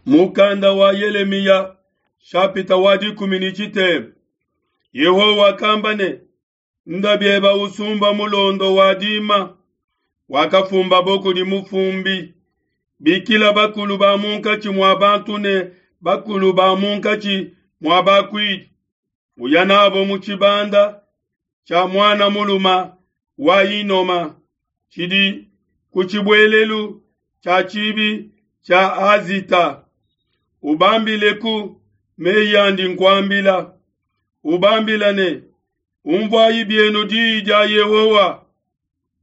Mukanda wa Yelemiya shapita wa 13. Yehowa wakamba ne, Nda bieba usumba mulondo wa dima wakafumbabo kudi mufumbi. Bikila bakulu ba munkatshi mua bantu ne bakulu ba munkatshi mua bakuidi, uya nabo mu tshibanda tshia muana muluma wa Hinoma tshidi ku tshibuelelu tshia tshibi tshia Azita. Ubambileku meyi andi nkuambila. Ubambila ne, Umvuayi bienu diyi dia Yehowa,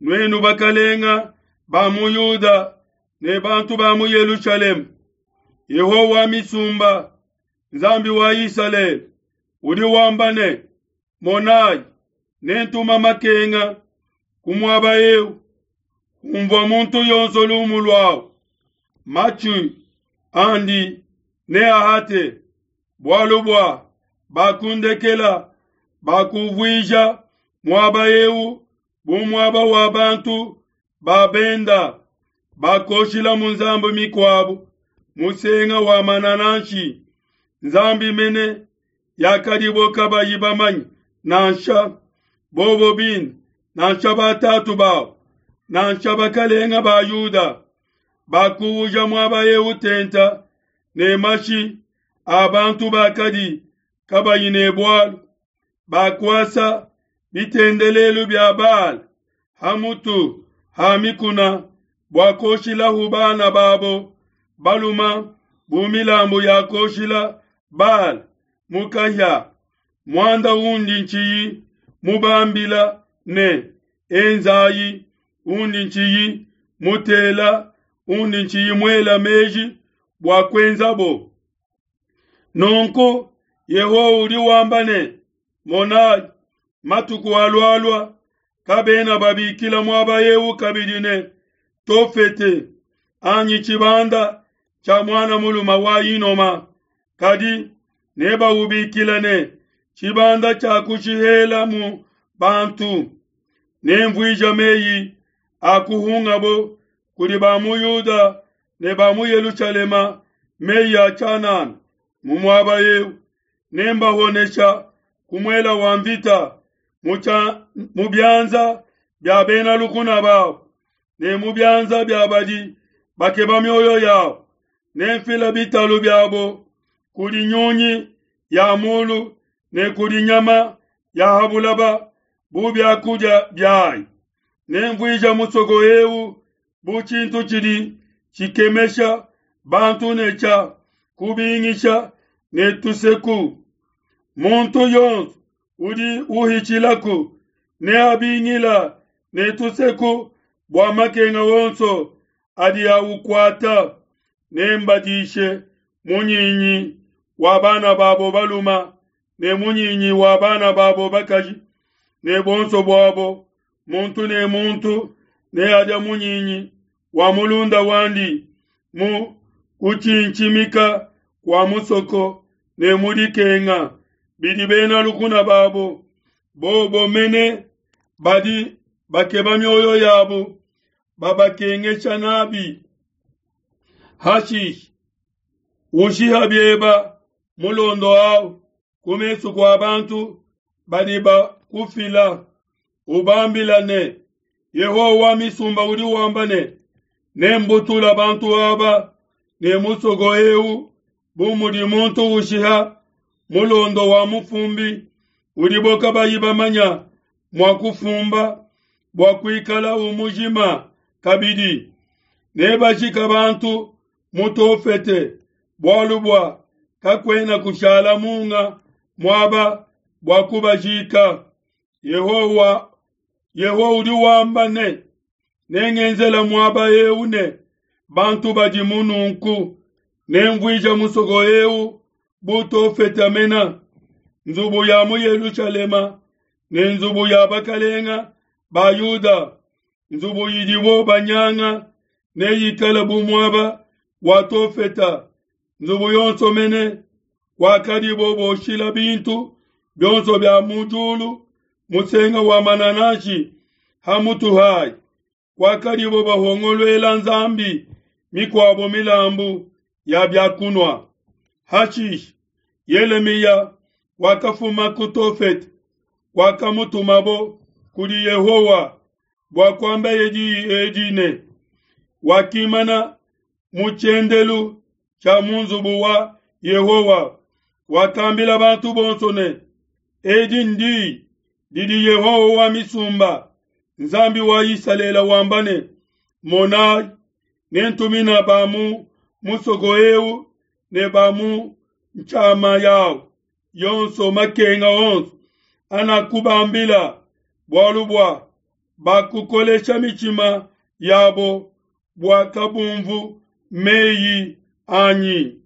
nuenu bakalenga ba mu Yuda ne bantu ba mu Yelushalema. Yehowa wa misumba, Nzambi wa Isalele, udi wamba ne, Monayi, nentuma makenga ku muaba eu, umvua muntu yonso lumu luawu, matshi andi neahate, bualu bua bakundekela, bakuvuija muaba eu bu muaba wa bantu ba benda, bakoshilamu nzambi mikuabu musenga wa manananshi, nzambi mene yakadibo kabayi bamanye, nansha bobo bine, nansha batatu babo, nansha bakalenga ba Yuda, bakuuja muaba eu tenta ne mashi a bantu bakadi kabayi ne bualu, bakuasa bitendelelu bia Baala ha mutu ha mikuna bua kuoshilahu bana babo baluma bu milambu ya kuoshila Baala mu kahia, muanda undi ntshiyi mubambila ne, Enzayi, undi ntshiyi mutela, undi ntshiyi muela meji bua kuenzabo. Nunku Yehowa udi wamba ne, Monayi, matuku alualua, kabena babikila muaba eu kabidi ne, Tofete, anyi tshibanda tshia muana mulume wa Hinoma, kadi nebaubikila ne, Tshibanda tshia kushihela mu bantu. Nemvuija meyi a kuhungabo kudi ba mu Yuda ne ba mu Yelushalema meyi a tshianana mu muaba eu, nembahonesha ku muela wa mvita mu bianza bia bena lukuna babo ne mu bianza bia badi bakeba mioyo yabo. Nemfila bitalu biabo kudi nyunyi ya mulu ne kudi nyama ya ha bulaba bu biakudia biayi. Nemvuija musoko eu bu tshintu tshidi tshikemesha bantu ne tshia kubingisha ne tuseku. Muntu yonso udi uhitshilaku neabingila ne tuseku bua makenga onso adi aukuata. Nembadishe munyinyi wa bana babo baluma ne munyinyi wa bana babo bakaji, ne bonso buabo muntu ne muntu neadia munyinyi wa mulunda wandi mu kutshintshimika kua musoko ne mu dikenga bidi bena lukuna babo, bobo mene badi bakeba mioyo yabo babakengesha nabi. Hashishe ushiha bieba mulondo au ku mesu kua bantu badi bakufila, ubambila ne, Yehowa wa misumba udi wamba ne, Nembutula bantu aba ne musoko eu bu mudi muntu ushiha mulondo wa mufumbi udibo kabayi bamanya mua kufumba bua kuikala umujima kabidi. Nebajika bantu mu Tofete, bualu bua kakuena kushala munga muaba bua kubajika. Yehowa Yehowa udi wamba ne, Nengenzela muaba eu ne bantu badimu nunku, nemvuija musoko eu bu Tofete mena, nzubu ya mu Yelushalema ne nzubu ya bakalenga ba Yuda, nzubu idibo banyanga neyikale bu muaba wa Tofeta, nzubu yonso mene wakadibo boshila bintu bionso bia mu diulu musenga wa manananshi ha mutu hayi, kwakadibo bahongoluela nzambi mikuabo milambu. ya bia kunua. Hashishe Yelemiya wakafuma ku Tofete, kwakamutumabo kudi Yehowa bua kuambaye diyi edi ne, Wakimana mu tshiendelu tshia mu nzubu wa Yehowa, wakambila bantu bonso ne, Edi ndiyi didi Yehowa wa misumba, Nzambi wa Isalele wamba ne, Monayi, nentumina ba mu musoko eu ne ba mu ntshiama yawu yonso makenga onso anakubambila, bualu bua bakukolesha mitshima yabo bua kabumvu meyi anyi.